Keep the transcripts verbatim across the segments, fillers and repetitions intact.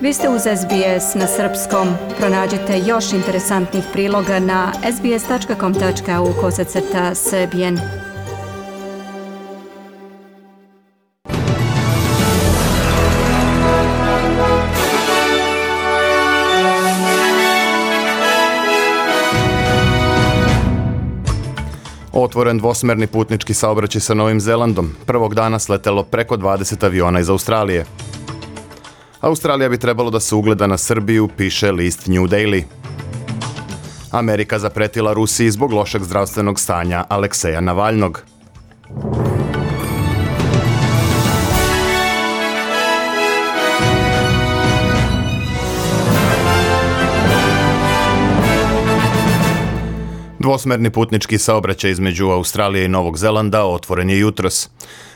Vi ste uz S B S na srpskom. Pronađite još interesantnih priloga na sbs.com.au kosacrta srbijen. Otvoren dvosmerni putnički saobraćaj sa Novim Zelandom. Prvog dana sletelo preko dvadeset aviona iz Australije. Australija bi trebalo da se ugleda na Srbiju, piše list New Daily. Amerika zapretila Rusiji zbog lošeg zdravstvenog stanja Alekseja Navalnog. Dvosmerni putnički saobraćaj između Australije i Novog Zelanda otvoren je jutros.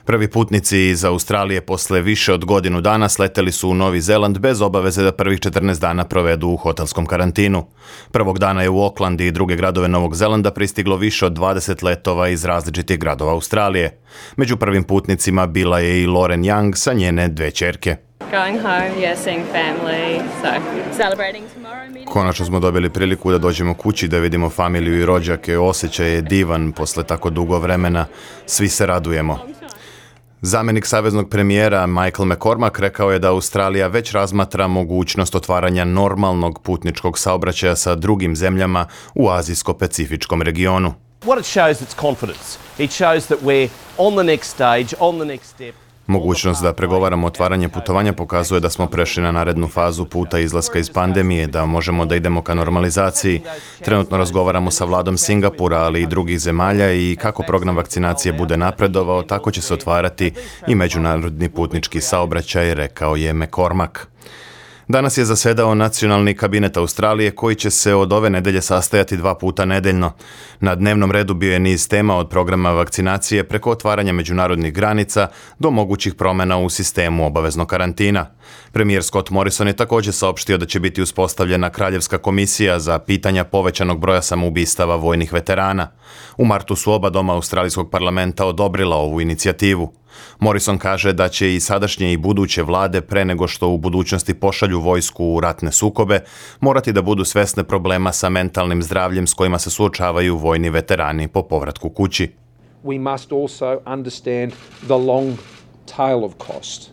Prvi putnici iz Australije posle više od godinu dana sleteli su u Novi Zeland bez obaveze da prvih četrnaest dana provedu u hotelskom karantinu. Prvog dana je u Auckland i druge gradove Novog Zelanda pristiglo više od dvadeset letova iz različitih gradova Australije. Među prvim putnicima bila je i Lauren Young sa njene dve ćerke. Going home, yeah, seeing family, so celebrating tomorrow. Konačno smo dobili priliku da dođemo kući, da vidimo familiju i rođake. Osjećaj je divan posle tako dugo vremena. Svi se radujemo. Zamenik saveznog premijera Michael McCormack rekao je da Australija već razmatra mogućnost otvaranja normalnog putničkog saobraćaja sa drugim zemljama u azijsko-pacifičkom regionu. What it shows is confidence. It shows that we're on the next stage, on the next step. Mogućnost da pregovaramo otvaranje putovanja pokazuje da smo prešli na narednu fazu puta izlaska iz pandemije, da možemo da idemo ka normalizaciji. Trenutno razgovaramo sa vladom Singapura, ali i drugih zemalja i kako program vakcinacije bude napredovao, tako će se otvarati i međunarodni putnički saobraćaj, rekao je McCormack. Danas je zasedao Nacionalni kabinet Australije koji će se od ove nedelje sastajati dva puta nedeljno. Na dnevnom redu bio je niz tema od programa vakcinacije preko otvaranja međunarodnih granica do mogućih promjena u sistemu obaveznog karantina. Premijer Scott Morrison je također saopštio da će biti uspostavljena Kraljevska komisija za pitanja povećanog broja samoubistava vojnih veterana. U martu su oba doma Australijskog parlamenta odobrila ovu inicijativu. Morrison kaže da će i sadašnje i buduće vlade pre nego što u budućnosti pošalju vojsku u ratne sukobe morati da budu svesne problema sa mentalnim zdravljem s kojima se suočavaju vojni veterani po povratku kući. We must also understand the long tail of cost.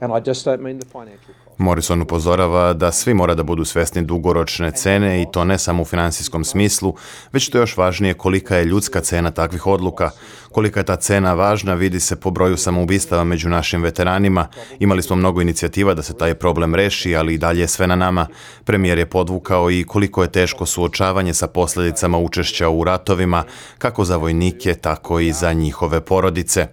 And I just don't mean the financial cost. Morrison upozorava da svi mora da budu svesni dugoročne cene i to ne samo u finansijskom smislu, već to još važnije kolika je ljudska cena takvih odluka. Kolika je ta cena važna vidi se po broju samoubistava među našim veteranima. Imali smo mnogo inicijativa da se taj problem reši, ali i dalje je sve na nama. Premijer je podvukao i koliko je teško suočavanje sa posljedicama učešća u ratovima, kako za vojnike, tako i za njihove porodice.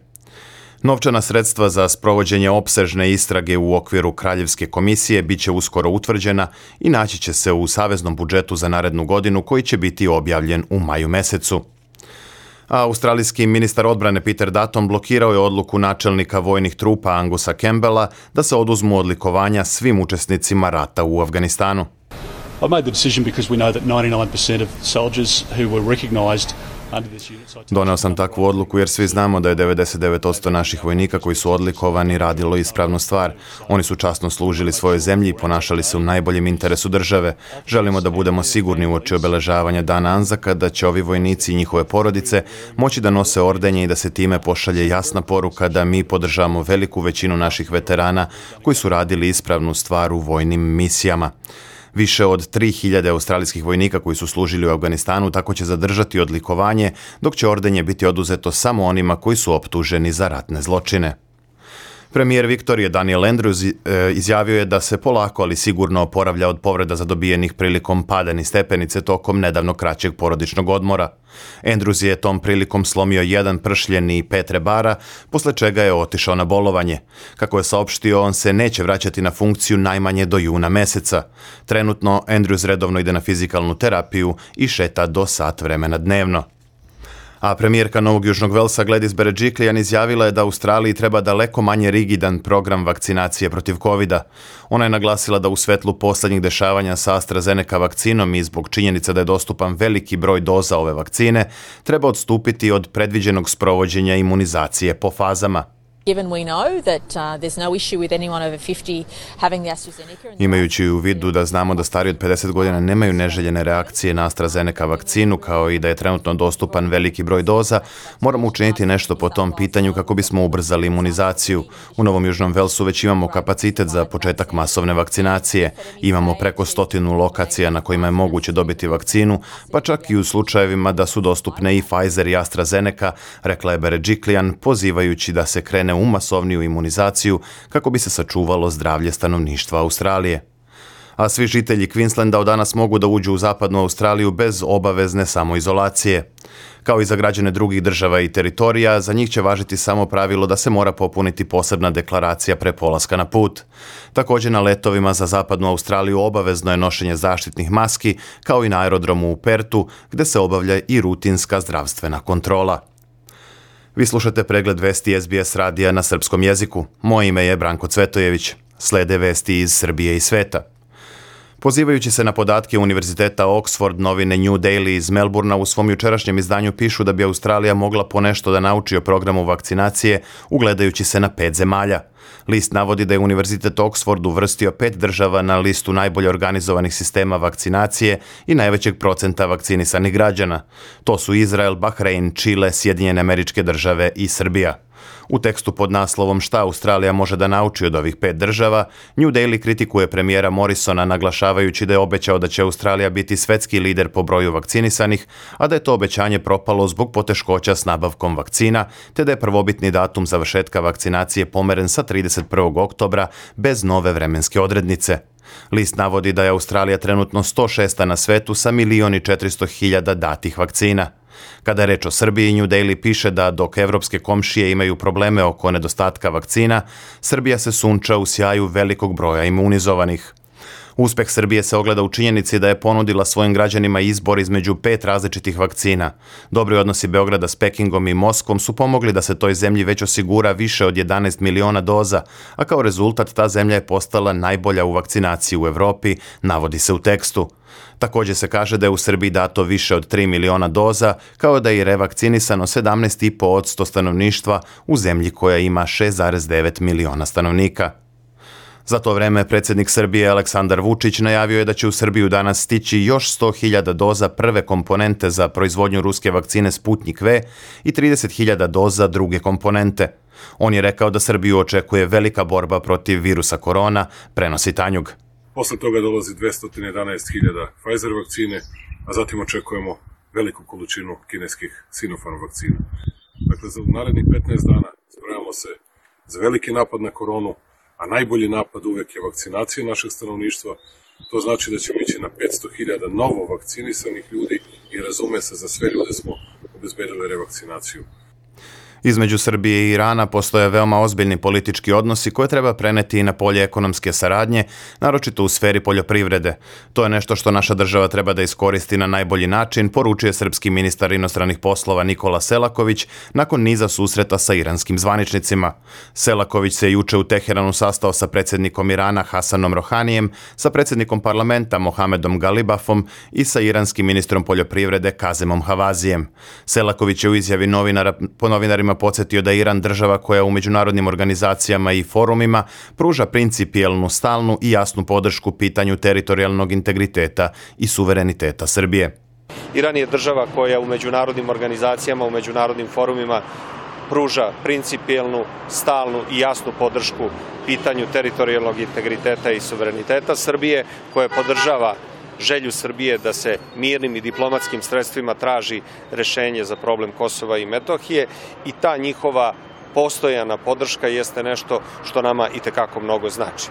Novčana sredstva za sprovođenje opsežne istrage u okviru Kraljevske komisije bit će uskoro utvrđena i naći će se u saveznom budžetu za narednu godinu koji će biti objavljen u maju mesecu. A australijski ministar odbrane Peter Dutton blokirao je odluku načelnika vojnih trupa Angusa Campbella da se oduzmu odlikovanja svim učesnicima rata u Afganistanu. I made the decision because we know that ninety-nine percent of soldiers who were recognized. Doneo sam takvu odluku jer svi znamo da je devedeset devet posto naših vojnika koji su odlikovani radilo ispravnu stvar. Oni su časno služili svojoj zemlji i ponašali se u najboljem interesu države. Želimo da budemo sigurni uoči obeležavanja Dana Anzaka da će ovi vojnici i njihove porodice moći da nose ordenje i da se time pošalje jasna poruka da mi podržavamo veliku većinu naših veterana koji su radili ispravnu stvar u vojnim misijama. Više od tri hiljade australijskih vojnika koji su služili u Afganistanu tako će zadržati odlikovanje, dok će ordenje biti oduzeto samo onima koji su optuženi za ratne zločine. Premijer Viktorije Daniel Andrews izjavio je da se polako ali sigurno oporavlja od povreda zadobijenih prilikom pada niz stepenice tokom nedavno kraćeg porodičnog odmora. Andrews je tom prilikom slomio jedan pršljen i pet rebara, posle čega je otišao na bolovanje. Kako je saopštio, on se neće vraćati na funkciju najmanje do juna meseca. Trenutno Andrews redovno ide na fizikalnu terapiju i šeta do sat vremena dnevno. A premijerka Novog Južnog Velsa Gladys Berejiklian izjavila je da Australiji treba daleko manje rigidan program vakcinacije protiv kovida. Ona je naglasila da u svetlu posljednjih dešavanja sa AstraZeneca vakcinom i zbog činjenica da je dostupan veliki broj doza ove vakcine, treba odstupiti od predviđenog sprovođenja imunizacije po fazama. Given we know that uh, there's no issue with anyone over fifty having the AstraZeneca. Imajući u vidu da znamo da stariji od pedeset godina nemaju neželjene reakcije na AstraZeneca vakcinu, kao i da je trenutno dostupan veliki broj doza, moramo učiniti nešto po tom pitanju kako bismo ubrzali imunizaciju. U Novom Južnom Velsu već imamo kapacitet za početak masovne vakcinacije. Imamo preko stotinu lokacija na kojima je moguće dobiti vakcinu, pa čak i u slučajevima da su dostupne i Pfizer i AstraZeneca, rekla je Beredžiklijan, pozivajući da se krene u masovniju imunizaciju kako bi se sačuvalo zdravlje stanovništva Australije. A svi žitelji Queenslanda od danas mogu da uđu u zapadnu Australiju bez obavezne samoizolacije. Kao i za građane drugih država i teritorija, za njih će važiti samo pravilo da se mora popuniti posebna deklaracija pre polaska na put. Također na letovima za zapadnu Australiju obavezno je nošenje zaštitnih maski, kao i na aerodromu u Pertu, gde se obavlja i rutinska zdravstvena kontrola. Vi slušate pregled vesti S B S radija na srpskom jeziku. Moje ime je Branko Cvetojević. Slede vesti iz Srbije i sveta. Pozivajući se na podatke Univerziteta Oxford, novine New Daily iz Melburna u svom jučerašnjem izdanju pišu da bi Australija mogla ponešto da nauči o programu vakcinacije, ugledajući se na pet zemalja. List navodi da je Univerzitet Oxford uvrstio pet država na listu najbolje organizovanih sistema vakcinacije i najvećeg procenta vakcinisanih građana. To su Izrael, Bahrein, Čile, Sjedinjene Američke Države i Srbija. U tekstu pod naslovom Šta Australija može da nauči od ovih pet država, New Daily kritikuje premijera Morrisona naglašavajući da je obećao da će Australija biti svetski lider po broju vakcinisanih, a da je to obećanje propalo zbog poteškoća s nabavkom vakcina, te da je prvobitni datum završetka vakcinacije pomeren sa trideset prvog oktobra bez nove vremenske odrednice. List navodi da je Australija trenutno sto šesta na svetu sa milion i četiristo hiljada datih vakcina. Kada je reč o Srbiji, New Daily piše da dok evropske komšije imaju probleme oko nedostatka vakcina, Srbija se sunča u sjaju velikog broja imunizovanih. Uspeh Srbije se ogleda u činjenici da je ponudila svojim građanima izbor između pet različitih vakcina. Dobri odnosi Beograda s Pekingom i Moskvom su pomogli da se toj zemlji već osigura više od jedanaest miliona doza, a kao rezultat ta zemlja je postala najbolja u vakcinaciji u Evropi, navodi se u tekstu. Također se kaže da je u Srbiji dato više od tri miliona doza, kao da je i revakcinisano sedamnaest zarez pet posto stanovništva u zemlji koja ima šest zarez devet miliona stanovnika. Za to vreme predsjednik Srbije Aleksandar Vučić najavio je da će u Srbiju danas stići još sto hiljada doza prve komponente za proizvodnju ruske vakcine Sputnik V i trideset hiljada doza druge komponente. On je rekao da Srbiju očekuje velika borba protiv virusa korona, prenosi Tanjug. Posle toga dolazi dvesta jedanaest hiljada Pfizer vakcine, a zatim očekujemo veliku količinu kineskih Sinopharm vakcina. Dakle, za narednih petnaest dana spremamo se za veliki napad na koronu, a najbolji napad uvek je vakcinacija našeg stanovništva. To znači da ćemo ići na petsto hiljada novo vakcinisanih ljudi i razume se, za sve ljude smo obezbedili revakcinaciju. Između Srbije i Irana postoje veoma ozbiljni politički odnosi koje treba preneti i na polje ekonomske saradnje, naročito u sferi poljoprivrede. To je nešto što naša država treba da iskoristi na najbolji način, poručuje srpski ministar inostranih poslova Nikola Selaković nakon niza susreta sa iranskim zvaničnicima. Selaković se juče u Teheranu sastao sa predsjednikom Irana Hasanom Rohanijem, sa predsjednikom parlamenta Mohamedom Galibafom i sa iranskim ministrom poljoprivrede Kazemom Havazijem. Selaković je u izjavi novinara, po novinarima podsjetio da je Iran država koja u međunarodnim organizacijama i forumima pruža principijelnu, stalnu i jasnu podršku pitanju teritorijalnog integriteta i suvereniteta Srbije. Iran je država koja u međunarodnim organizacijama, u međunarodnim forumima pruža principijelnu, stalnu i jasnu podršku pitanju teritorijalnog integriteta i suvereniteta Srbije, koja podržava želju Srbije da se mirnim i diplomatskim sredstvima traži rešenje za problem Kosova i Metohije, i ta njihova postojana podrška jeste nešto što nama itekako mnogo znači.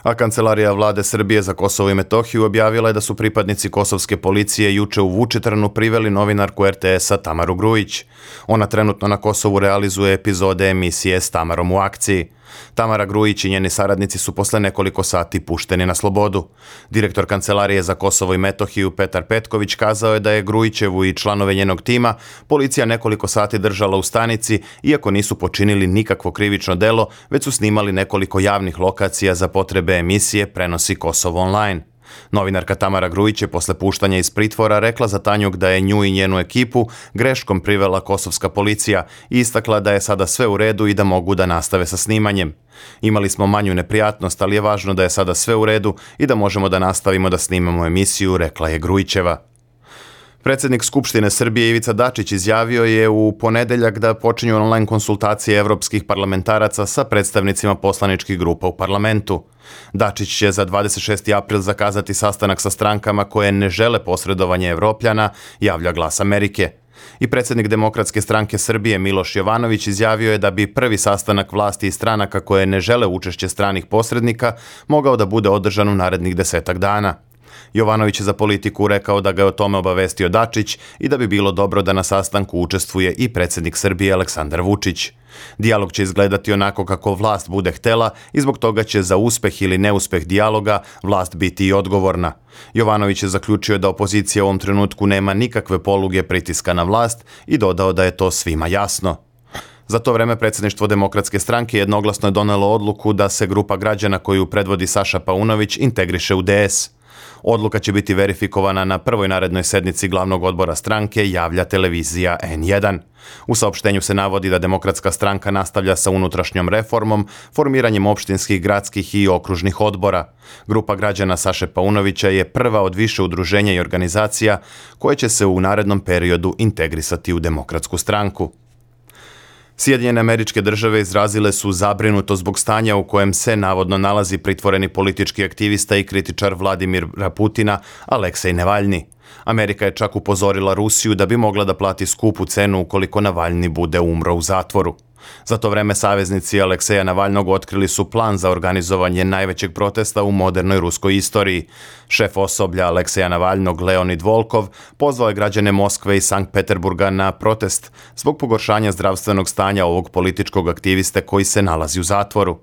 A Kancelarija vlade Srbije za Kosovo i Metohiju objavila je da su pripadnici kosovske policije juče u Vučitrnu priveli novinarku R T S-a Tamaru Grujić. Ona trenutno na Kosovu realizuje epizode emisije S Tamarom u akciji. Tamara Grujić i njeni saradnici su posle nekoliko sati pušteni na slobodu. Direktor Kancelarije za Kosovo i Metohiju Petar Petković kazao je da je Grujićevu i članove njenog tima policija nekoliko sati držala u stanici, iako nisu počinili nikakvo krivično delo, već su snimali nekoliko javnih lokacija za potrebe emisije, prenosi Kosovo online. Novinarka Tamara Grujić je posle puštanja iz pritvora rekla za Tanjug da je nju i njenu ekipu greškom privela kosovska policija i istakla da je sada sve u redu i da mogu da nastave sa snimanjem. Imali smo manju neprijatnost, ali je važno da je sada sve u redu i da možemo da nastavimo da snimamo emisiju, rekla je Grujićeva. Predsjednik Skupštine Srbije Ivica Dačić izjavio je u ponedeljak da počinju online konsultacije evropskih parlamentaraca sa predstavnicima poslaničkih grupa u parlamentu. Dačić će za dvadeset šesti april zakazati sastanak sa strankama koje ne žele posredovanje Evropljana, javlja Glas Amerike. I predsjednik Demokratske stranke Srbije Miloš Jovanović izjavio je da bi prvi sastanak vlasti i stranaka koje ne žele učešće stranih posrednika mogao da bude održan u narednih desetak dana. Jovanović je za Politiku rekao da ga je o tome obavestio Dačić i da bi bilo dobro da na sastanku učestvuje i predsjednik Srbije Aleksandar Vučić. Dijalog će izgledati onako kako vlast bude htela i zbog toga će za uspeh ili neuspeh dijaloga vlast biti i odgovorna. Jovanović je zaključio da opozicija u ovom trenutku nema nikakve poluge pritiska na vlast i dodao da je to svima jasno. Za to vreme predsjedništvo Demokratske stranke jednoglasno je donelo odluku da se grupa građana koju predvodi Saša Paunović integriše u D S. Odluka će biti verifikovana na prvoj narednoj sednici glavnog odbora stranke, javlja televizija N jedan. U saopštenju se navodi da Demokratska stranka nastavlja sa unutrašnjom reformom, formiranjem opštinskih, gradskih i okružnih odbora. Grupa građana Saše Paunovića je prva od više udruženja i organizacija koje će se u narednom periodu integrisati u Demokratsku stranku. Sjedinjene Američke Države izrazile su zabrinuto zbog stanja u kojem se navodno nalazi pritvoreni politički aktivista i kritičar Vladimira Putina Aleksej Navalni. Amerika je čak upozorila Rusiju da bi mogla da plati skupu cenu ukoliko Navalni bude umro u zatvoru. Za to vreme saveznici Alekseja Navalnog otkrili su plan za organizovanje najvećeg protesta u modernoj ruskoj istoriji. Šef osoblja Alekseja Navalnog, Leonid Volkov, pozvao je građane Moskve i Sankt Peterburga na protest zbog pogoršanja zdravstvenog stanja ovog političkog aktiviste koji se nalazi u zatvoru.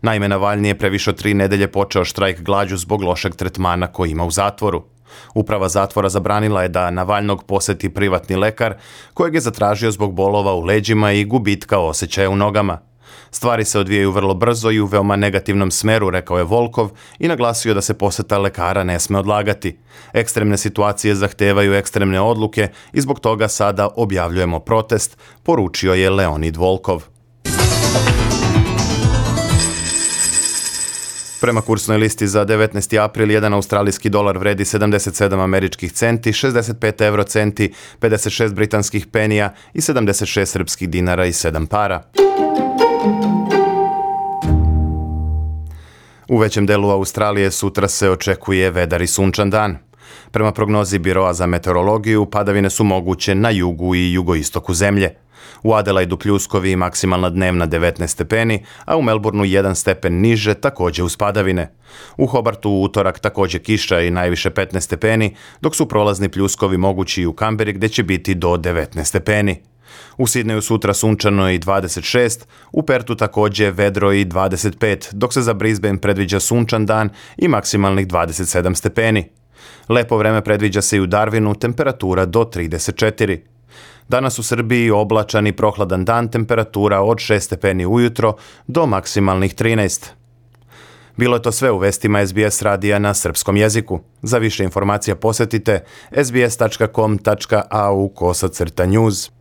Naime, Navalni je pre više od tri nedelje počeo štrajk glađu zbog lošeg tretmana koji ima u zatvoru. Uprava zatvora zabranila je da Navalnog poseti privatni lekar, kojeg je zatražio zbog bolova u leđima i gubitka osjećaja u nogama. Stvari se odvijaju vrlo brzo i u veoma negativnom smeru, rekao je Volkov i naglasio da se poseta lekara ne sme odlagati. Ekstremne situacije zahtevaju ekstremne odluke i zbog toga sada objavljujemo protest, poručio je Leonid Volkov. Prema kursnoj listi za devetnaesti april, jedan australijski dolar vredi sedamdeset sedam američkih centi, šezdeset pet evro centi, pedeset šest britanskih penija i sedamdeset šest srpskih dinara i sedam para. U većem delu Australije sutra se očekuje vedar i sunčan dan. Prema prognozi Biroa za meteorologiju, padavine su moguće na jugu i jugoistoku zemlje. U Adelaidu pljuskovi i maksimalna dnevna devetnaest stepeni, a u Melbourneu jedan stepen niže, također uz padavine. U Hobartu u utorak također kiša i najviše petnaest stepeni, dok su prolazni pljuskovi mogući i u Kamberi gdje će biti do devetnaest stepeni. U Sidneju sutra sunčano i dvadeset šest, u Pertu također vedro i dvadeset pet, dok se za Brisbane predviđa sunčan dan i maksimalnih dvadeset sedam stepeni. Lepo vreme predviđa se i u Darwinu, temperatura do trideset četiri. Danas u Srbiji oblačan i prohladan dan, temperatura od šest stepeni ujutro do maksimalnih trinaest. Bilo je to sve u vestima S B S radija na srpskom jeziku. Za više informacija posjetite s b s tačka com tačka a u kosacrta news.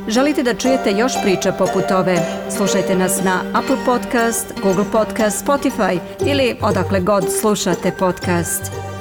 Želite da čujete još priča poput ove? Slušajte nas na Apple Podcast, Google Podcast, Spotify ili odakle god slušate podcast.